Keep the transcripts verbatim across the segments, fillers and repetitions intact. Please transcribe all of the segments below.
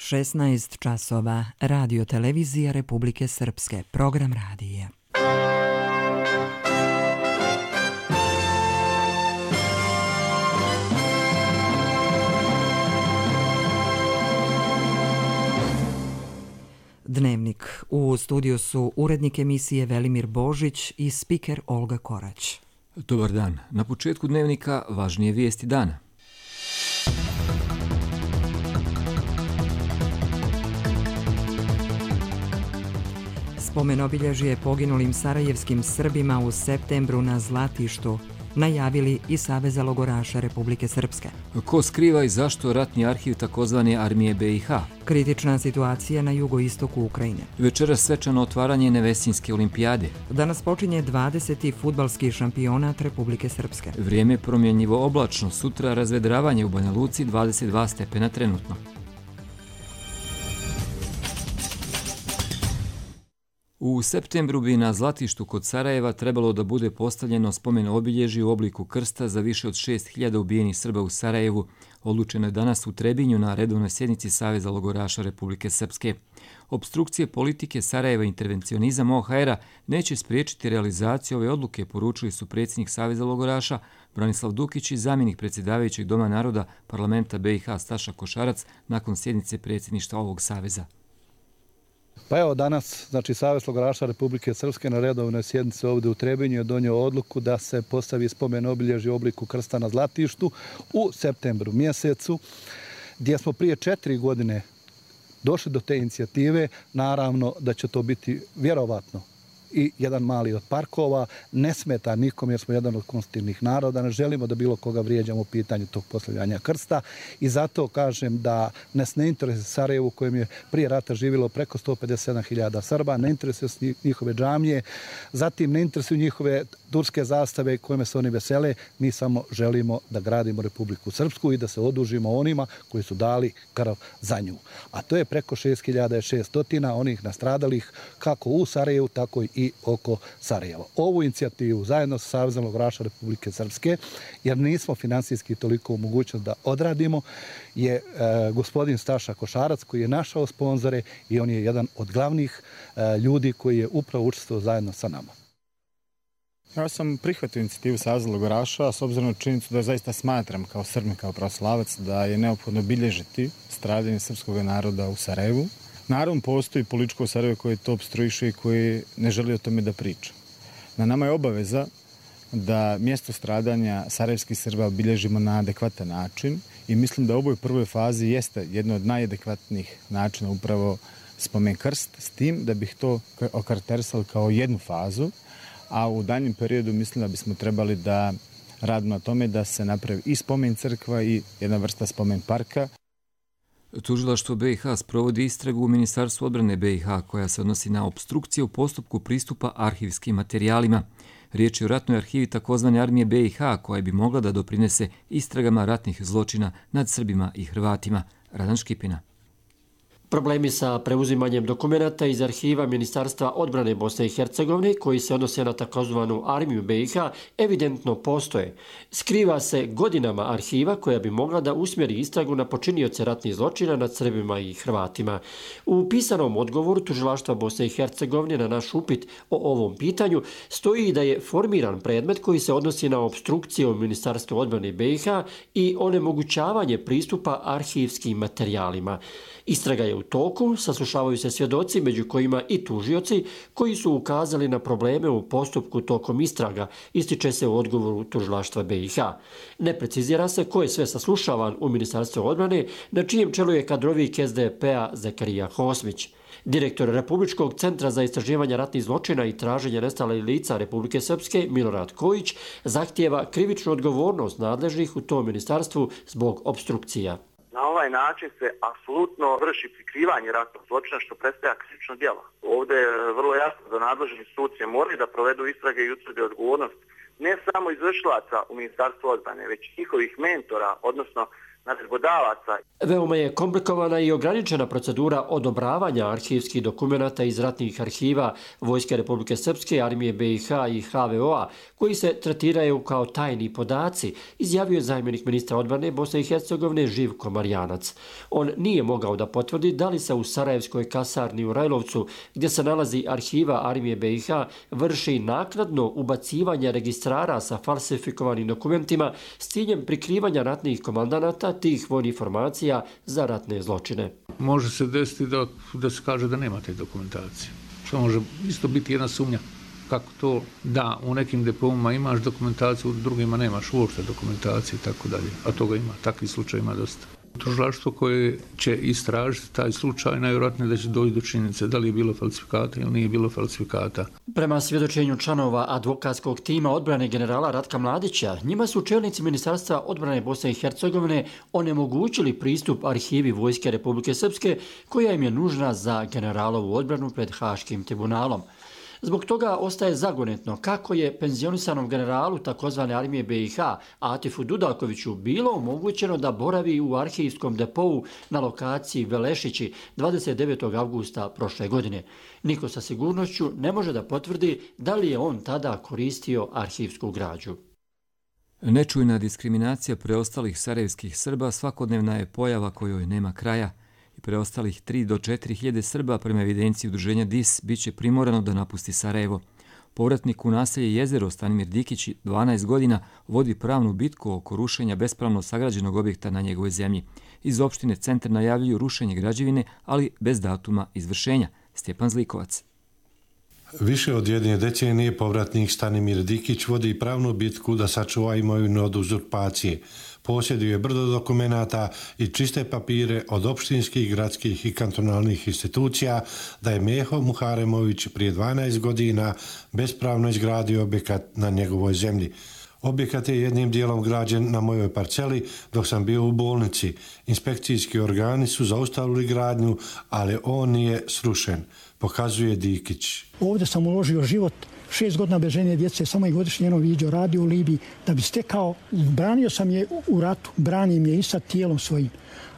šesnaest časova, Radio Televizija Republike Srpske, program radija. Dnevnik. U studiju su urednik emisije Velimir Božić i spiker Olga Korać. Dobar dan. Na početku dnevnika važnije vijesti dana. Spomen obilježje poginulim sarajevskim Srbima u septembru na Zlatištu najavili i Saveza logoraša Republike Srpske. Ko skriva i zašto ratni arhiv takozvane armije B i H? Kritična situacija na jugoistoku Ukrajine. Večeras svečano otvaranje Nevesinjske olimpijade. Danas počinje dvadeseti fudbalski šampionat Republike Srpske. Vrijeme promjenjivo oblačno, sutra razvedravanje u Banja Luci dvadeset dva stepena trenutno. U septembru bi na Zlatištu kod Sarajeva trebalo da bude postavljeno spomen obilježje u obliku krsta za više od šest hiljada ubijenih Srba u Sarajevu. Odlučeno je danas u Trebinju na redovnoj sjednici Saveza logoraša Republike Srpske. Opstrukcije politike Sarajeva i intervencionizam O H R-a neće spriječiti realizaciju ove odluke, poručili su predsjednik Saveza logoraša Branislav Dukić i zamjenik predsjedavajućeg Doma naroda parlamenta B i H Staša Košarac nakon sjednice predsjedništva ovog saveza. Pa evo danas, znači Savez logoraša Republike Srpske na redovnoj sjednici ovdje u Trebinju je donio odluku da se postavi spomen obilježje u obliku krsta na Zlatištu u septembru mjesecu, gdje smo prije četiri godine došli do te inicijative. Naravno da će to biti vjerovatno i jedan mali od parkova, ne smeta nikom jer smo jedan od konstitutivnih naroda, ne želimo da bilo koga vrijeđamo u pitanju tog postavljanja krsta i zato kažem da nas ne interesuje Sarajevo u kojem je prije rata živjelo preko sto pedeset sedam hiljada Srba, ne interesuje njihove džamije, zatim ne interesuju njihove turske zastave kojima se oni vesele, mi samo želimo da gradimo Republiku Srpsku i da se odužimo onima koji su dali krv za nju. A to je preko šest hiljada šesto onih nastradalih kako u Sarajevu, tako i oko Sarajeva. Ovu inicijativu zajedno sa Savezom logoraša Republike Srpske, jer nismo finansijski toliko u mogućnost da odradimo, je e, gospodin Staša Košarac koji je našao sponzore i on je jedan od glavnih e, ljudi koji je upravo učestvovao zajedno sa nama. Ja sam prihvatio inicijativu Saveza logoraša s obzirom na činjenicu da zaista smatram kao Srbin, kao pravoslavac da je neophodno obilježiti stradanje srpskog naroda u Sarajevu. Naravno, postoji političko Sarajevo koje to opstruiše i koje ne želi o tome da priča. Na nama je obaveza da mjesto stradanja sarajevskih Srba obilježimo na adekvatan način i mislim da u ovoj prvoj fazi jeste jedno od najadekvatnijih načina upravo spomen krst, s tim da bih to okarakterisali kao jednu fazu, a u daljnjem periodu mislim da bismo trebali da radimo na tome da se napravi i spomen crkva i jedna vrsta spomen parka. Tužilaštvo B i H sprovodi istragu u Ministarstvu odbrane B i H koja se odnosi na opstrukcije u postupku pristupa arhivskim materijalima. Riječ je o ratnoj arhivi takozvane armije B i H koja bi mogla da doprinese istragama ratnih zločina nad Srbima i Hrvatima. Radan Škipina. Problemi sa preuzimanjem dokumenata iz arhiva Ministarstva odbrane Bosne i Hercegovine koji se odnose na takozvanu armiju B i H evidentno postoje. Skriva se godinama arhiva koja bi mogla da usmjeri istragu na počinioce ratnih zločina nad Srbima i Hrvatima. U pisanom odgovoru Tužilaštva Bosne i Hercegovine na naš upit o ovom pitanju stoji da je formiran predmet koji se odnosi na opstrukcije u Ministarstvu odbrane B i H i onemogućavanje pristupa arhivskim materijalima. Istraga je u toku, saslušavaju se svjedoci, među kojima i tužioci, koji su ukazali na probleme u postupku tokom istraga, ističe se u odgovoru Tužilaštva B i H. Ne precizira se ko je sve saslušavan u Ministarstvu odbrane, na čijem čelu je kadrovik S D P-a Zekarija Hosmić. Direktor Republičkog centra za istraživanje ratnih zločina i traženje nestalih lica Republike Srpske, Milorad Kojić, zahtijeva krivičnu odgovornost nadležnih u tom ministarstvu zbog opstrukcija. Na ovaj način se apsolutno vrši prikrivanje ratnog zločina što predstavlja krivično djelo. Ovdje je vrlo jasno da nadležni institucije moraju da provedu istrage i utvrde odgovornost ne samo izvršilaca u Ministarstvu odbrane, već njihovih mentora, odnosno naredbodavaca. Veoma je komplikovana i ograničena procedura odobravanja arhivskih dokumenata iz ratnih arhiva Vojske Republike Srpske, Armije B i H i H V O-a, koji se tretiraju kao tajni podaci, izjavio je zamjenik ministra odbrane Bosne i Hercegovine Živko Marjanac. On nije mogao da potvrdi da li se u Sarajevskoj kasarni u Rajlovcu, gdje se nalazi arhiva Armije B i H, vrši naknadno ubacivanje registrara sa falsifikovanim dokumentima s ciljem prikrivanja ratnih komandanata tih vojnih informacija za ratne zločine. Može se desiti da, da se kaže da nema te dokumentacije. Što može isto biti jedna sumnja. Kako to da u nekim deponima imaš dokumentaciju, u drugima nemaš uopšte dokumentacije i tako dalje. A toga ima, takvih slučaja ima dosta. Tužilaštvo koje će istražiti taj slučaj, najvjerojatnije da će doći do činjenice da li je bilo falsifikata ili nije bilo falsifikata. Prema svjedočenju članova advokatskog tima odbrane generala Ratka Mladića, njima su čelnici Ministarstva odbrane Bosne i Hercegovine onemogućili pristup arhivi Vojske Republike Srpske, koja im je nužna za generalovu odbranu pred Haškim tribunalom. Zbog toga ostaje zagonetno kako je penzionisanom generalu takozvane Armije B i H Atifu Dudalkoviću bilo omogućeno da boravi u arhivskom depou na lokaciji Velešići dvadeset devetog avgusta prošle godine. Niko sa sigurnošću ne može da potvrdi da li je on tada koristio arhivsku građu. Nečujna diskriminacija preostalih sarajevskih Srba svakodnevna je pojava kojoj nema kraja. I preostalih tri do četiri hiljade Srba prema evidenciji udruženja D I S bit će primorano da napusti Sarajevo. Povratnik u naselje Jezero Stanimir Dikić dvanaest godina vodi pravnu bitku oko rušenja bespravno sagrađenog objekta na njegovoj zemlji. Iz opštine Centar najavljuju rušenje građevine, ali bez datuma izvršenja. Stjepan Zlikovac. Više od jedne decenije povratnik Stanimir Dikić vodi pravnu bitku da sačuva imovinu od uzurpacije. Posjeduje brdo dokumenata i čiste papire od opštinskih, gradskih i kantonalnih institucija da je Meho Muharemović prije dvanaest godina bespravno izgradio objekat na njegovoj zemlji. Objekat je jednim dijelom građen na mojoj parceli dok sam bio u bolnici. Inspekcijski organi su zaustavili gradnju, ali on nije srušen, pokazuje Dikić. Ovdje sam uložio život, šest godina bez žene, djece, samo i godišnje jedno viđo, radio u Libiji, da bi stekao, branio sam je u ratu, branim je i sad tijelom svojim.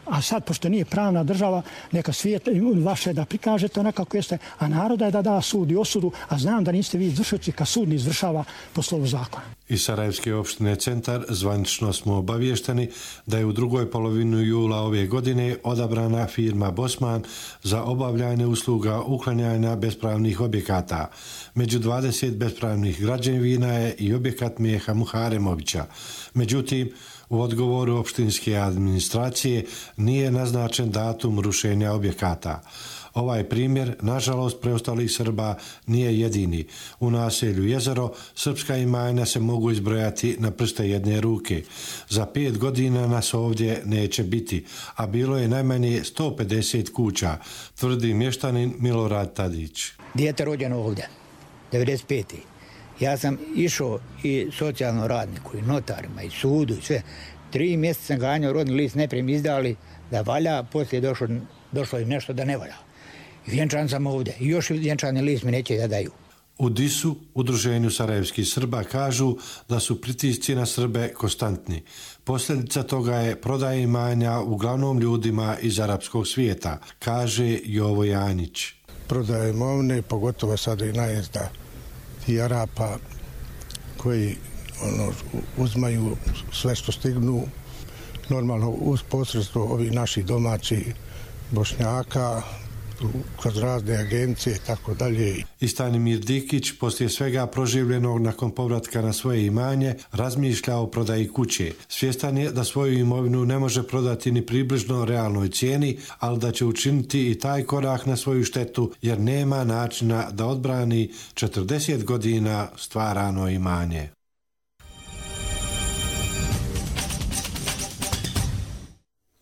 A sad, pošto nije pravna država, neka svijet vaše da prikažete onako kako jeste, a naroda je da da sud i osudu, a znam da niste vi izvršioci kad sud ne izvršava po slovu zakona. Iz Sarajevske opštine Centar zvanično smo obavješteni da je u drugoj polovini jula ove godine odabrana firma Bosman za obavljanje usluga uklanjanja bespravnih objekata. Među dvadeset bespravnih građevina je i objekat Meha Muharemovića. Međutim, u odgovoru opštinske administracije nije naznačen datum rušenja objekata. Ovaj primjer, nažalost, preostalih Srba nije jedini. U naselju Jezero srpska imanja se mogu izbrojati na prste jedne ruke. Za pet godina nas ovdje neće biti, a bilo je najmanje sto pedeset kuća, tvrdi mještanin Milorad Tadić. Dijete rođeno ovdje, devedeset pete Ja sam išao i socijalnom radniku, i notarima, i sudu, i sve. Tri mjeseca sam ganjao rodni list, najprije mi izdali da valja, poslije došlo, došlo i nešto da ne valja. I vjenčan sam ovdje. I još vjenčani list mi neće da daju. U D I S-u, Udruženju sarajevskih Srba, kažu da su pritisci na Srbe konstantni. Posljedica toga je prodaja imanja uglavnom ljudima iz arapskog svijeta, kaže Jovo Janić. Prodaja imovine, pogotovo sada i najezda i Arapa koji ono, uzmaju sve što stignu, normalno uz posredstvo ovih naših domaćih Bošnjaka, kroz razne agencije i tako dalje. I Stanimir Dikić, poslije svega proživljenog nakon povratka na svoje imanje, razmišlja o prodaji kuće. Svjestan je da svoju imovinu ne može prodati ni približno realnoj cijeni, ali da će učiniti i taj korak na svoju štetu, jer nema načina da odbrani četrdeset godina stvarano imanje.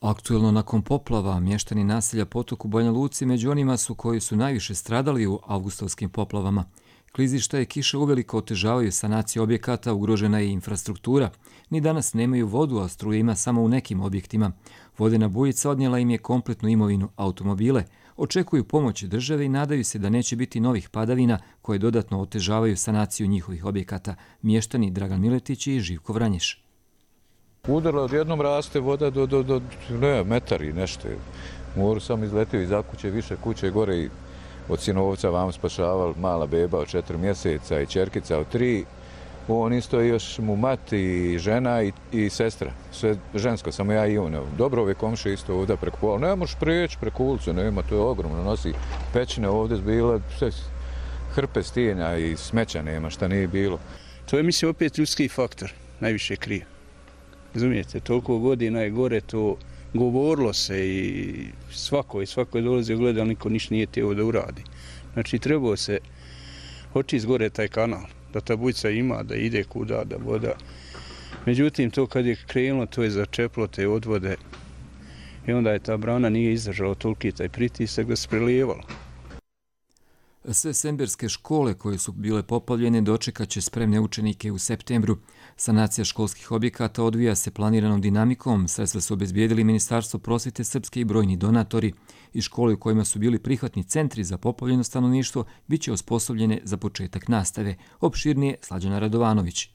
Aktuelno nakon poplava, mještani naselja Potok u Banja Luci među onima su koji su najviše stradali u avgustovskim poplavama. Klizišta i kiše uveliko otežavaju sanaciju objekata, ugrožena je infrastruktura. Ni danas nemaju vodu, a struje ima samo u nekim objektima. Vodena bujica odnijela im je kompletnu imovinu, automobile. Očekuju pomoć države i nadaju se da neće biti novih padavina koje dodatno otežavaju sanaciju njihovih objekata. Mještani Dragan Miletić i Živko Vranješ. Udarila, odjednom raste voda do, do, do ne, metar i nešto. Moru sam izletio iza kuće, više kuće gore i od sinovca vam spašaval mala beba od četiri mjeseca i čerkica od tri. On isto još mu mat i žena i, i sestra. Sve žensko, samo ja i on. Dobro, ove komše isto ovdje preko pola. Ne možeš prijeći preko ulicu, nema, to je ogromno. Nosi pećine ovdje zbila, sve hrpe stijenja i smeća nema, šta nije bilo. To je, mislim, opet ljudski faktor, najviše krije. Razumijete, toliko godina je gore, to govorilo se i svako i svako je dolazio gleda, ali niko ništa nije teo da uradi. Znači, trebao se očist gore taj kanal, da ta bujica ima, da ide kuda, da voda. Međutim, to kad je krenulo, to je začeplo te odvode i onda je ta brana nije izdržala toliki taj pritisak da se prelijevalo. Sve semberske škole koje su bile poplavljene dočekat će spremne učenike u septembru. Sanacija školskih objekata odvija se planiranom dinamikom. Sredstva su obezbijedili Ministarstvo prosvjete Srpske i brojni donatori. I škole u kojima su bili prihvatni centri za poplavljeno stanovništvo bit će osposobljene za početak nastave. Opširnije Slađana Radovanović.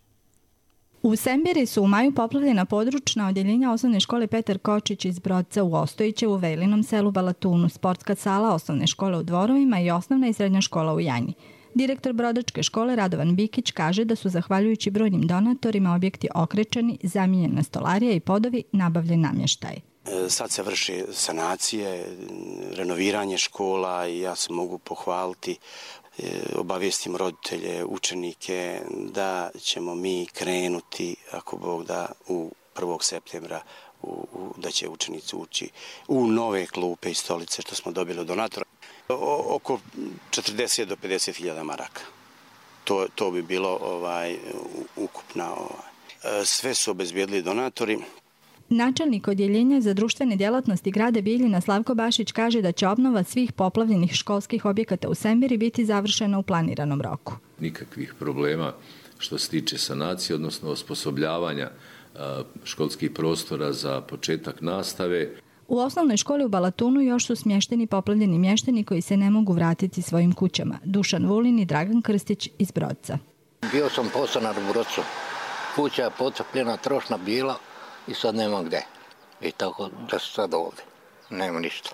U Sembiri su u maju poplavljena područna odjeljenja osnovne škole Petar Kočić iz Brodca u Ostojićevu, Vejlinom selu Balatunu, sportska sala osnovne škole u Dvorovima i osnovna i srednja škola u Janji. Direktor Brodačke škole Radovan Bikić kaže da su zahvaljujući brojnim donatorima objekti okrečeni, zamijenjena stolarija i podovi, nabavljen namještaj. Sad se vrši sanacije, renoviranje škola i ja se mogu pohvaliti, obavijestim roditelje, učenike da ćemo mi krenuti, ako Bog da, u prvog septembra u, u, da će učenici ući u nove klupe i stolice što smo dobili od donatora. O, oko četrdeset do pedeset hiljada maraka. To, to bi bilo ovaj, ukupna. Ovaj. Sve su obezbijedili donatori. Načelnik odjeljenja za društvene djelatnosti grada Bijeljina Slavko Bašić kaže da će obnova svih poplavljenih školskih objekata u Sembiri biti završena u planiranom roku. Nikakvih problema što se tiče sanacije, odnosno osposobljavanja školskih prostora za početak nastave. U osnovnoj školi u Balatunu još su smješteni poplavljeni mještani koji se ne mogu vratiti svojim kućama. Dušan Vulin i Dragan Krstić iz Brodca. Bio sam podstanar u Brodcu. Kuća je potopljena, trošna bila. I sad nema gde. I tako da se sad ovdje. Nema ništa.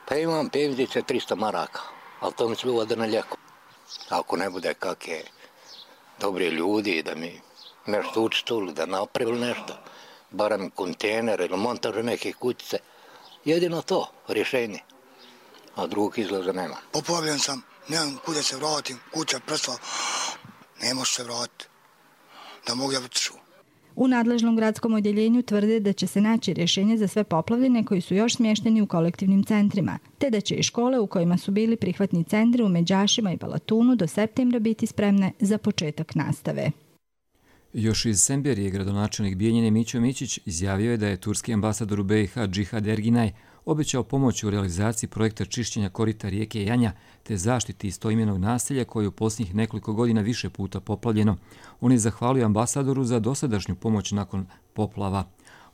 Pa imam penzije tristo maraka, ali to mi se uvode na lijeko. Ako ne bude kakve dobri ljudi da mi nešto učituli, da napravili nešto, barem kontejner ili montaže neke kućice, jedino to rješenje. A drugog izlaza nema. Poplavljen sam, nemam kuda se vratim, kuća prestala, ne može se vratiti. Da mogu ja vrtiću. U nadležnom gradskom odjeljenju tvrde da će se naći rješenje za sve poplavljene koji su još smješteni u kolektivnim centrima, te da će i škole u kojima su bili prihvatni centri u Međašima i Balatunu do septembra biti spremne za početak nastave. Još iz Semberije gradonačelnik Bijeljine Mićo Mićić izjavio je da je turski ambasador u be i ha Džihad Erginaj obećao pomoć u realizaciji projekta čišćenja korita rijeke Janja te zaštiti istoimenog naselja koje je u posljednjih nekoliko godina više puta poplavljeno. On je zahvalio ambasadoru za dosadašnju pomoć nakon poplava.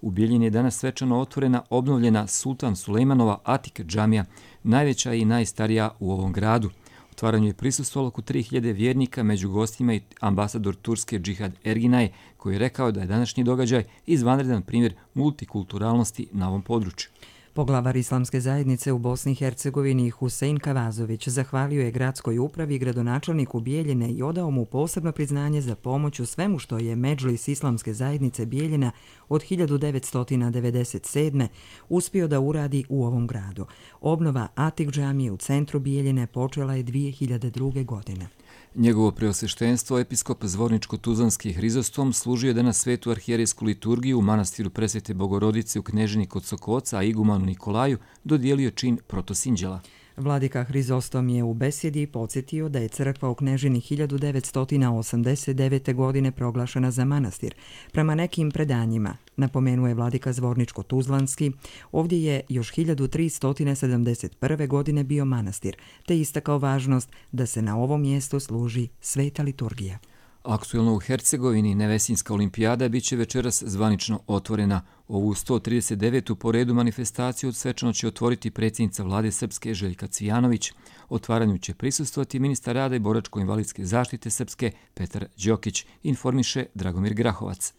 U Bijeljini je danas svečano otvorena obnovljena Sultan Sulejmanova Atik džamija, najveća i najstarija u ovom gradu. Otvaranju je prisustvovalo oko tri hiljade vjernika, među gostima i ambasador Turske Džihad Erginaj, koji je rekao da je današnji događaj izvanredan primjer multikulturalnosti na ovom području. Poglavar Islamske zajednice u Bosni i Hercegovini Husein Kavazović zahvalio je gradskoj upravi i gradonačelniku Bijeljine i odao mu posebno priznanje za pomoć u svemu što je Medžlis Islamske zajednice Bijeljina od hiljadu devetsto devedeset sedme. uspio da uradi u ovom gradu. Obnova Atik džamije u centru Bijeljine počela je dvije hiljade druge. godine. Njegovo preosveštenstvo, episkop Zvorničko-Tuzlanski Hrizostom, služio je danas svetu arhijerejsku liturgiju u manastiru Presvete Bogorodice u Knežini kod Sokoca, a igumanu Nikolaju dodijelio čin protosinđela. Vladika Hrizostom je u besjedi podsjetio da je crkva u Knežini hiljadu devetsto osamdeset devete. godine proglašena za manastir. Prema nekim predanjima, napomenuje vladika Zvorničko-Tuzlanski, ovdje je još hiljadu tristo sedamdeset prve. godine bio manastir, te istakao važnost da se na ovom mjestu služi sveta liturgija. Aktuelno u Hercegovini Nevesinska olimpijada bit će večeras zvanično otvorena. Ovu sto trideset devetu po redu manifestaciju svečano će otvoriti predsjednica vlade Srpske Željka Cvijanović. Otvaranju će prisustvovati ministar rada i boračko-invalidske zaštite Srpske Petar Đokić, informiše Dragomir Grahovac.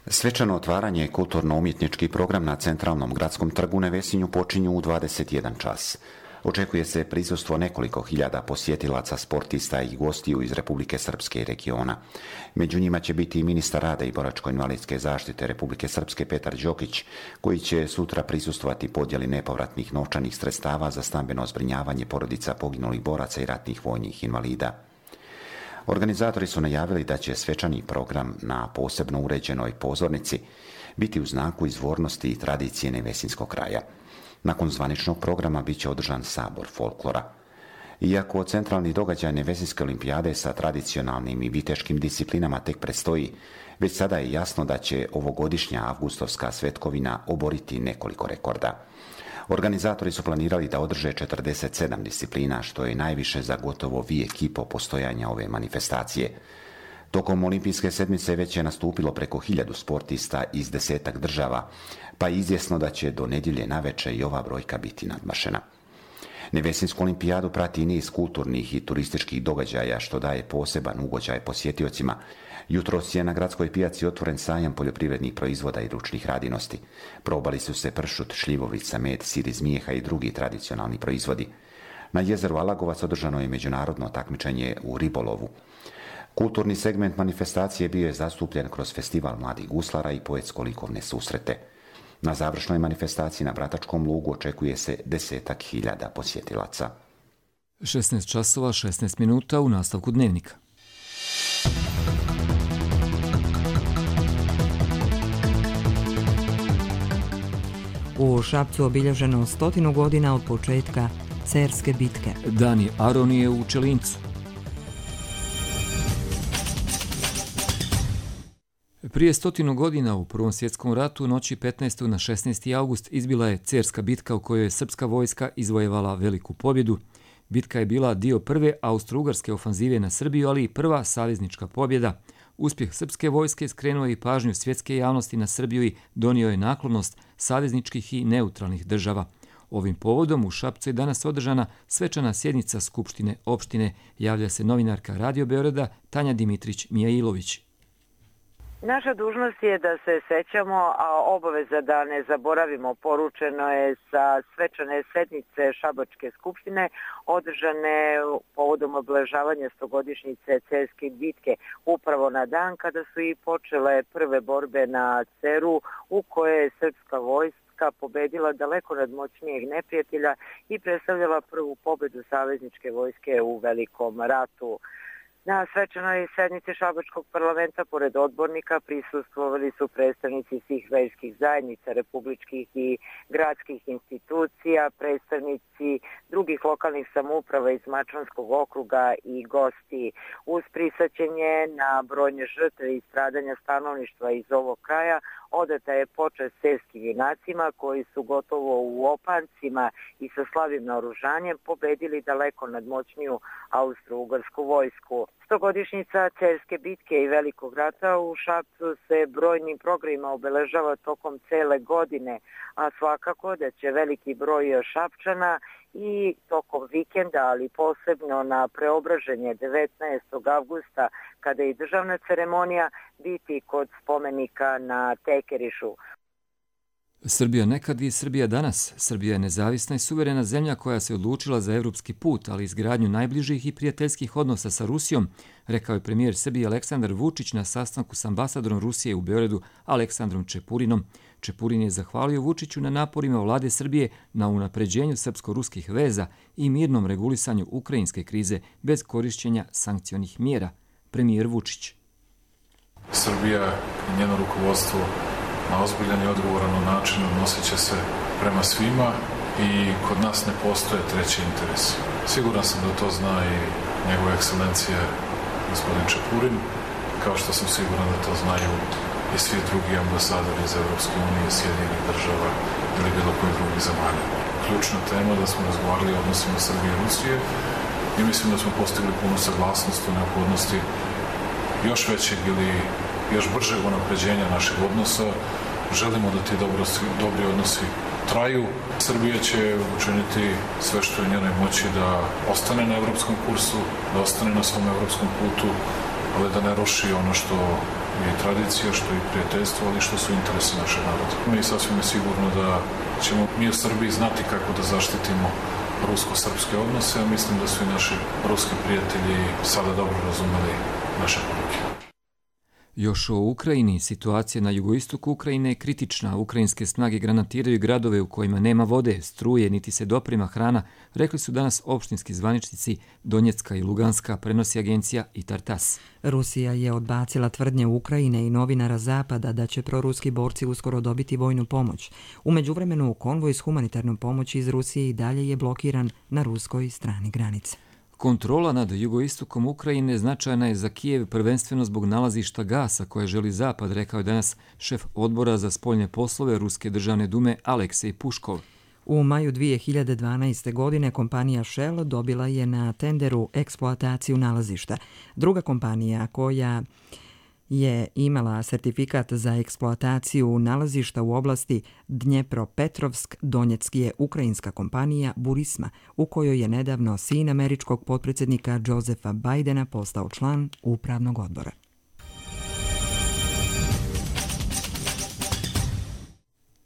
Svečano otvaranje kulturno-umjetnički program na centralnom gradskom trgu u Nevesinju počinju u dvadeset jedan čas. Očekuje se prisustvo nekoliko hiljada posjetilaca, sportista i gostiju iz Republike Srpske i regiona. Među njima će biti i ministar rada i boračko-invalidske zaštite Republike Srpske Petar Đokić, koji će sutra prisustvovati podjeli nepovratnih novčanih sredstava za stambeno zbrinjavanje porodica poginulih boraca i ratnih vojnih invalida. Organizatori su najavili da će svečani program na posebno uređenoj pozornici biti u znaku izvornosti i tradicije Nevesinskog kraja. Nakon zvaničnog programa bit će održan sabor folklora. Iako centralni događaj Nevesinske olimpijade sa tradicionalnim i viteškim disciplinama tek predstoji, već sada je jasno da će ovogodišnja avgustovska svetkovina oboriti nekoliko rekorda. Organizatori su planirali da održe četrdeset sedam disciplina, što je najviše za gotovo vijek i po postojanja ove manifestacije. Tokom olimpijske sedmice već je nastupilo preko hiljadu sportista iz desetak država, pa je izvjesno da će do nedjelje naveče i ova brojka biti nadmašena. Nevesinsku olimpijadu prati niz kulturnih i turističkih događaja, što daje poseban ugođaj posjetiocima. Jutros je na gradskoj pijaci otvoren sajam poljoprivrednih proizvoda i ručnih radinosti. Probali su se pršut, šljivovica, med, sir iz mijeha i drugi tradicionalni proizvodi. Na jezeru Alagovac održano je međunarodno takmičenje u ribolovu. Kulturni segment manifestacije bio je zastupljen kroz festival mladih guslara i poetsko-likovne susrete. Na završnoj manifestaciji na Bratačkom lugu očekuje se desetak hiljada posjetilaca. šesnaest časova šesnaest minuta u nastavku dnevnika. U Šapcu obilježeno stotinu godina od početka Cerske bitke. Dani Aronije u Čelincu. Prije stotinu godina u Prvom svjetskom ratu noći petnaestog na šesnaesti august izbila je Cerska bitka u kojoj je srpska vojska izvojevala veliku pobjedu. Bitka je bila dio prve austro-ugarske ofanzive na Srbiju, ali i prva saveznička pobjeda. Uspjeh srpske vojske skrenuo je i pažnju svjetske javnosti na Srbiju i donio je naklonost savezničkih i neutralnih država. Ovim povodom u Šapcu je danas održana svečana sjednica Skupštine opštine, javlja se novinarka Radio Beograda Tanja Dimitrić-Mijailović. Naša dužnost je da se sećamo, a obaveza da ne zaboravimo poručeno je sa svečane sednice Šabačke skupštine održane povodom obeležavanja stogodišnjice Cerske bitke, upravo na dan kada su i počele prve borbe na Ceru, u kojoj je srpska vojska pobedila daleko nadmoćnijeg neprijatelja i predstavljala prvu pobedu savezničke vojske u Velikom ratu. Na svečanoj sednici Šabačkog parlamenta, pored odbornika, prisustvovali su predstavnici svih verskih zajednica, republičkih i gradskih institucija, predstavnici drugih lokalnih samouprava iz Mačvanskog okruga i gosti. Uz prisaćenje na brojne žrtve i stradanja stanovništva iz ovog kraja, odata je počast cerskim junacima koji su gotovo u opancima i sa slavim naoružanjem pobedili daleko nadmoćniju austro-ugarsku vojsku. Stogodišnjica Cerske bitke i Velikog rata u Šapcu se brojnim programima obeležava tokom cele godine, a svakako da će veliki broj Šapčana i tokom vikenda, ali posebno na preobraženje devetnaestog avgusta, kada je i državna ceremonija, biti kod spomenika na Tekerišu. Srbija nekad i Srbija danas. Srbija je nezavisna i suverena zemlja koja se odlučila za evropski put, ali izgradnju najbližih i prijateljskih odnosa sa Rusijom, rekao je premijer Srbije Aleksandar Vučić na sastanku s ambasadorom Rusije u Beogradu Aleksandrom Čepurinom. Čepurin je zahvalio Vučiću na naporima vlade Srbije na unapređenju srpsko-ruskih veza i mirnom regulisanju ukrajinske krize bez korišćenja sankcionih mjera. Premijer Vučić. Srbija i njeno rukovodstvo na ozbiljan i odgovoran način odnosit će se prema svima i kod nas ne postoje treći interes. Siguran sam da to zna i njegova ekscelencija gospodin Čepurin, kao što sam siguran da to znaju i svi drugi ambasadori iz Evropske unije, Sjedinjenih država ili bilo kojih drugih zemalja. Ključna tema da smo razgovarali o odnosima Srbije i Rusije i mislim da smo postigli punu saglasnost o neophodnosti još većeg ili još bržeg unapređenja našeg odnosa. Želimo da ti dobrosti, dobri odnosi traju. Srbija će učiniti sve što je u njenoj moći da ostane na evropskom kursu, da ostane na svom evropskom putu, ali da ne ruši ono što je tradicija, što je prijateljstvo, ali što su interesi našeg naroda. I sasvim je sigurno da ćemo mi u Srbiji znati kako da zaštitimo rusko-srpske odnose, a mislim da su i naši ruski prijatelji sada dobro razumeli naše poruke. Još o Ukrajini. Situacija na jugoistoku Ukrajine je kritična. Ukrajinske snage granatiraju gradove u kojima nema vode, struje, niti se doprema hrana, rekli su danas opštinski zvaničnici Donjecka i Luganska, prenosi agencija I T A R T A S. Rusija je odbacila tvrdnje Ukrajine i novinara Zapada da će proruski borci uskoro dobiti vojnu pomoć. U međuvremenu, konvoj s humanitarnom pomoći iz Rusije i dalje je blokiran na ruskoj strani granice. Kontrola nad jugoistokom Ukrajine značajna je za Kijev prvenstveno zbog nalazišta gasa koje želi Zapad, rekao je danas šef odbora za spoljne poslove Ruske državne dume Aleksej Puškov. U maju dvije hiljade dvanaeste. godine kompanija Shell dobila je na tenderu eksploataciju nalazišta. Druga kompanija koja je imala sertifikat za eksploataciju nalazišta u oblasti Dnjepropetrovsk Donjecki je ukrajinska kompanija Burisma, u kojoj je nedavno sin američkog potpredsjednika Josefa Bidena postao član upravnog odbora.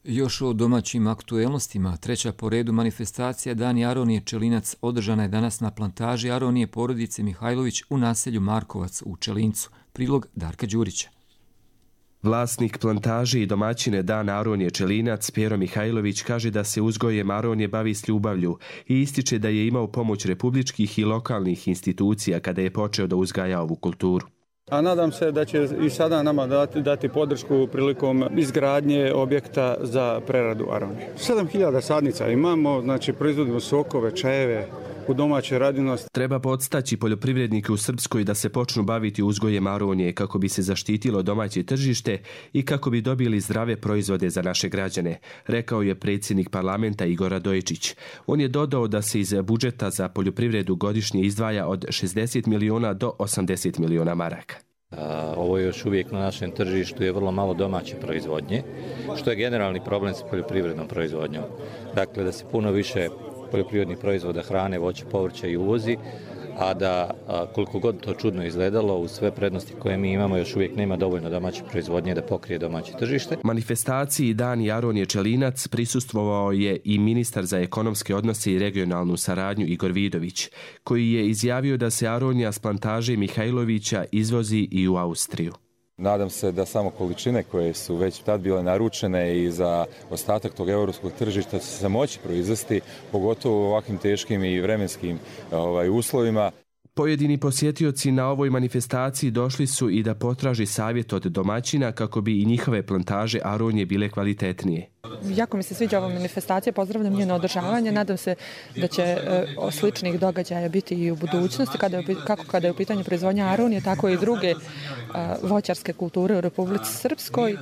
Još o domaćim aktuelnostima. Treća po redu manifestacija Dani Aronije Čelinac održana je danas na plantaži Aronije porodice Mihajlović u naselju Markovac u Čelincu. Prilog Darka Đurića. Vlasnik plantaže i domaćine Dan Aronije Čelinac, Pero Mihajlović, kaže da se uzgojem Aronije bavi s ljubavlju i ističe da je imao pomoć republičkih i lokalnih institucija kada je počeo da uzgaja ovu kulturu. A nadam se da će i sada nama dati, dati podršku prilikom izgradnje objekta za preradu aronije. sedam hiljada sadnica imamo, znači proizvodimo sokove, čajeve u domaćoj radinosti. Treba podstaći poljoprivrednike u Srpskoj da se počnu baviti uzgojem aronije kako bi se zaštitilo domaće tržište i kako bi dobili zdrave proizvode za naše građane, rekao je predsjednik parlamenta Igor Radojičić. On je dodao da se iz budžeta za poljoprivredu godišnje izdvaja od šezdeset miliona do osamdeset miliona maraka. Ovo je još uvijek na našem tržištu je vrlo malo domaće proizvodnje, što je generalni problem sa poljoprivrednom proizvodnjom. Dakle, da se puno više poljoprivrednih proizvoda, hrane, voća, povrća i uvozi, a da koliko god to čudno izgledalo, uz sve prednosti koje mi imamo, još uvijek nema dovoljno domaće proizvodnje da pokrije domaće tržište. Manifestaciji Dani Aronije Čelinac prisustvovao je i ministar za ekonomske odnose i regionalnu saradnju Igor Vidović, koji je izjavio da se aronija s plantaže Mihajlovića izvozi i u Austriju. Nadam se da samo količine koje su već tad bile naručene i za ostatak tog europskog tržišta će se moći proizvesti, pogotovo u ovakvim teškim i vremenskim ovaj, uslovima. Pojedini posjetioci na ovoj manifestaciji došli su i da potraži savjet od domaćina kako bi i njihove plantaže aronije bile kvalitetnije. Jako mi se sviđa ova manifestacija, pozdravljam njeno održavanje, nadam se da će e, sličnih događaja biti i u budućnosti, kada je, kako kada je u pitanju proizvodnja aronije, tako i druge e, voćarske kulture u Republici Srpskoj.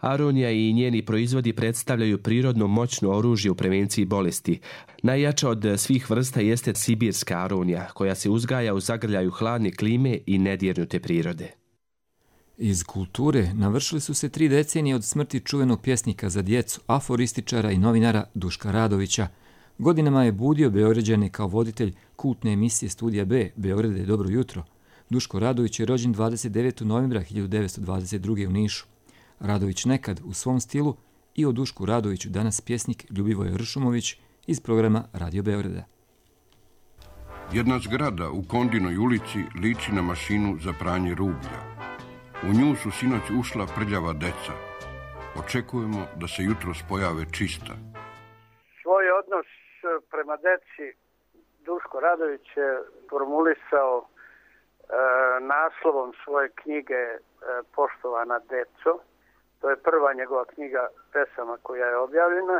Aronija i njeni proizvodi predstavljaju prirodno moćno oružje u prevenciji bolesti. Najjača od svih vrsta jeste sibirska aronija, koja se uzgaja u zagrljaju hladne klime i nedjernute prirode. Iz kulture navršili su se tri decenije od smrti čuvenog pjesnika za djecu, aforističara i novinara Duška Radovića. Godinama je budio Beograđane kao voditelj kultne emisije Studija B, Beograd je dobro jutro. Duško Radović je rođen dvadeset devetog novembra hiljadu devetsto dvadeset druge u Nišu. Radović nekad u svom stilu i o Dušku Radoviću danas pjesnik Ljubivoje Ršumović iz programa Radio Beograda. Jedna zgrada u Kondinoj ulici liči na mašinu za pranje rublja. U nju su sinoć ušla prljava deca. Očekujemo da se jutros pojave čista. Svoj odnos prema deci Duško Radović je formulisao e, naslovom svoje knjige e, Poštovana deco. To je prva njegova knjiga pesama koja je objavljena.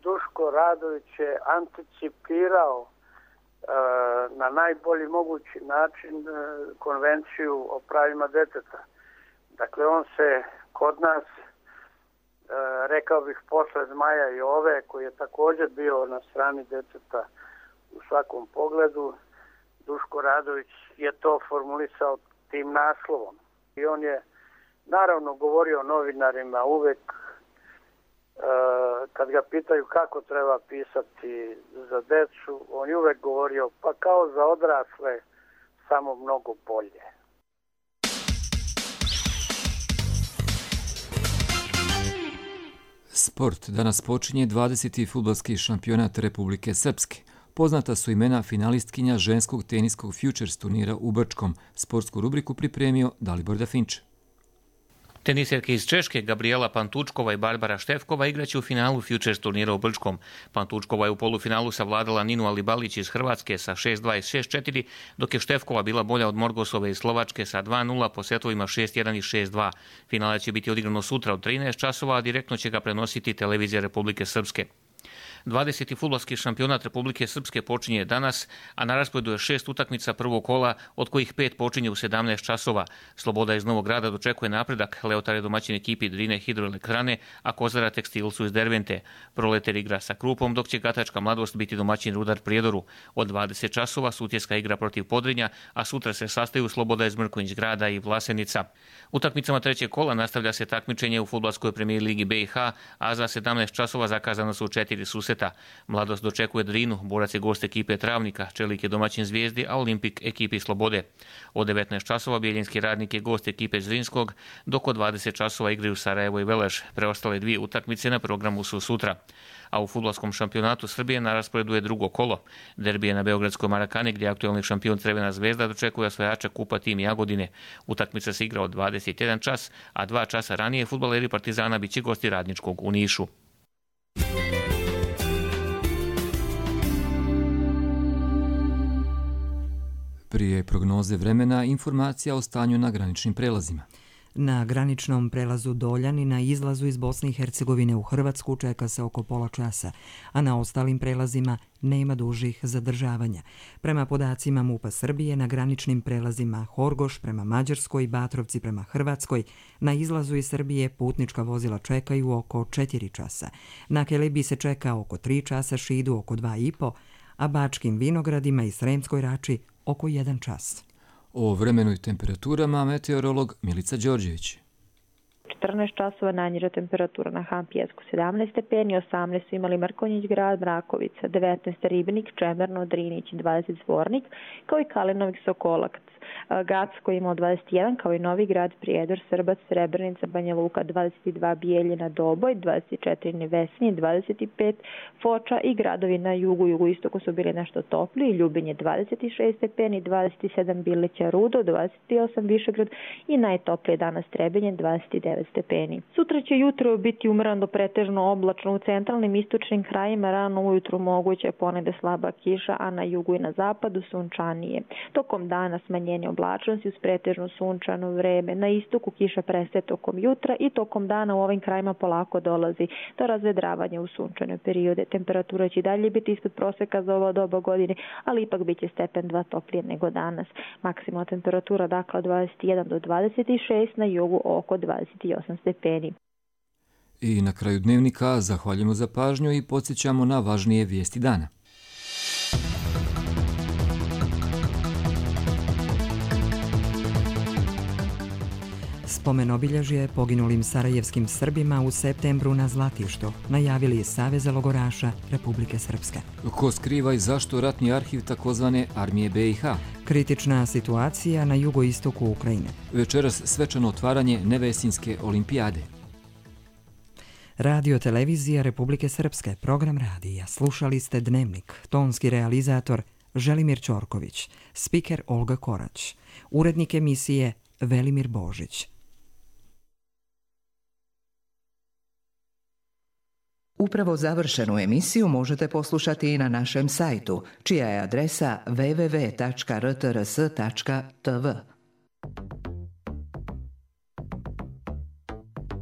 Duško Radović je anticipirao e, na najbolji mogući način e, konvenciju o pravima deteta. Dakle, on se kod nas, e, rekao bih, posle Zmaja i Ove, koji je također bio na strani deteta u svakom pogledu, Duško Radović je to formulisao tim naslovom. I on je naravno govorio novinarima uvek, e, kad ga pitaju kako treba pisati za decu, on je uvek govorio pa kao za odrasle, samo mnogo bolje. Sport. Danas počinje dvadeseti fudbalski šampionat Republike Srpske. Poznata su imena finalistkinja ženskog teniskog Futures turnira u Brčkom. Sportsku rubriku pripremio Dalibor Dafinče. Teniserke iz Češke Gabriela Pantučkova i Barbara Štefkova igraće u finalu Futures turnira u Brčkom. Pantučkova je u polufinalu savladala Ninu Alibalić iz Hrvatske sa šest dva i šest četiri, dok je Štefkova bila bolja od Morgosove iz Slovačke sa dva nula po setovima šest jedan i šest dva. Finale će biti odigrano sutra od trinaest časova, a direktno će ga prenositi televizija Republike Srpske. dvadeseti fudbalski šampionat Republike Srpske počinje danas, a na rasporedu je šest utakmica prvog kola, od kojih pet počinje u sedamnaest časova. Sloboda iz Novog Grada dočekuje napredak, Leotar je domaćin ekipi Drine Hidroelektrane, a Kozara Tekstilcu iz Dervente. Proleter igra sa Krupom, dok će Gatačka Mladost biti domaćin Rudar Prijedoru. Od dvadeset časova Sutjeska igra protiv Podrinja, a sutra se sastaju Sloboda iz Mrkonjić Grada i Vlasenica. Utakmicama trećeg kola nastavlja se takmičenje u fudbalskoj premijer ligi B i H, a za sedamnaest časova zakazano su četiri susreta. Mladost dočekuje Drinu, Borac je gost ekipe Travnika, Čelik je domaćin Zvijezdi, a Olimpik ekipi Slobode. Od devetnaest časova Bijeljinski Radnik je gost ekipe Zrinskog, dok od dvadeset časova igraju Sarajevo i Veleš. Preostale dvije utakmice na programu su sutra. A u fudbalskom šampionatu Srbije na rasporedu je drugo kolo. Derbi je na Beogradskoj Marakani, gdje aktualni šampion Crvena Zvezda dočekuje osvajača kupa tim Jagodine. Utakmica se igra od dvadeset jedan čas, a dva časa ranije fudbaleri Partizana biće gosti Radničkog u Nišu. Prije prognoze vremena, informacija o stanju na graničnim prelazima. Na graničnom prelazu Doljani na izlazu iz Bosne i Hercegovine u Hrvatsku čeka se oko pola časa, a na ostalim prelazima nema dužih zadržavanja. Prema podacima MUP-a Srbije, na graničnim prelazima Horgoš prema Mađarskoj i Batrovci prema Hrvatskoj, na izlazu iz Srbije putnička vozila čekaju oko četiri časa. Na Kelebiji se čeka oko tri časa, Šidu oko dva i po, a Bačkim Vinogradima i Sremskoj Rači oko jedan čas. O vremenu i temperaturama meteorolog Milica Đorđević. četrnaest časova najniža temperatura na Han Pijesku sedamnaest stepeni, osamnaest su imali Mrkonjić Grad, Mrakovica, devetnaest Ribnik, Čemerno, Drinić, dvadeset Zvornik, kao i Kalinovik Sokolac. Gacko imao dvadeset jedan, kao i Novi Grad, Prijedor, Srbac, Srebrenica, Banja Luka, dvadeset dva Bijeljina, Doboj, dvadeset četiri Nevesinje, dvadeset pet Foča i gradovi na jugu, jugoistoku su bili nešto topliji, Ljubinje dvadeset šest stepeni, dvadeset sedam Bilića, Rudo, dvadeset osam Višegrad i najtoplije danas Trebinje, dvadeset devet stepeni. Sutra će jutro biti umrano do pretežno oblačno, u centralnim istočnim krajima rano ujutru moguće ponegde slaba kiša, a na jugu i na zapadu sunčanije. Tokom dana smanjenje oblačnosti uz pretežno sunčano vreme. Na istoku kiša prestaje tokom jutra i tokom dana u ovim krajima polako dolazi do razvedravanja u sunčane periode. Temperatura će dalje biti ispod proseka za ovo doba godine, ali ipak biće stepen dva toplije nego danas. Maksimalna temperatura dakle dvadeset jedan do dvadeset šest, na jugu oko dvadeset osam stepeni. I na kraju dnevnika zahvaljujemo za pažnju i podsjećamo na važnije vijesti dana. Spomen obilježje poginulim sarajevskim Srbima u septembru na Zlatištu najavili je Savez logoraša Republike Srpske. Ko skriva i zašto ratni arhiv takozvane armije B i H? Kritična situacija na jugoistoku Ukrajine. Večeras svečano otvaranje Nevesinjske olimpijade. Radio televizija Republike Srpske, program radija. Slušali ste Dnevnik, tonski realizator Želimir Ćorković, spiker Olga Korać, urednik emisije Velimir Božić. Upravo završenu emisiju možete poslušati i na našem sajtu, čija je adresa w w w tačka r t r s tačka t v.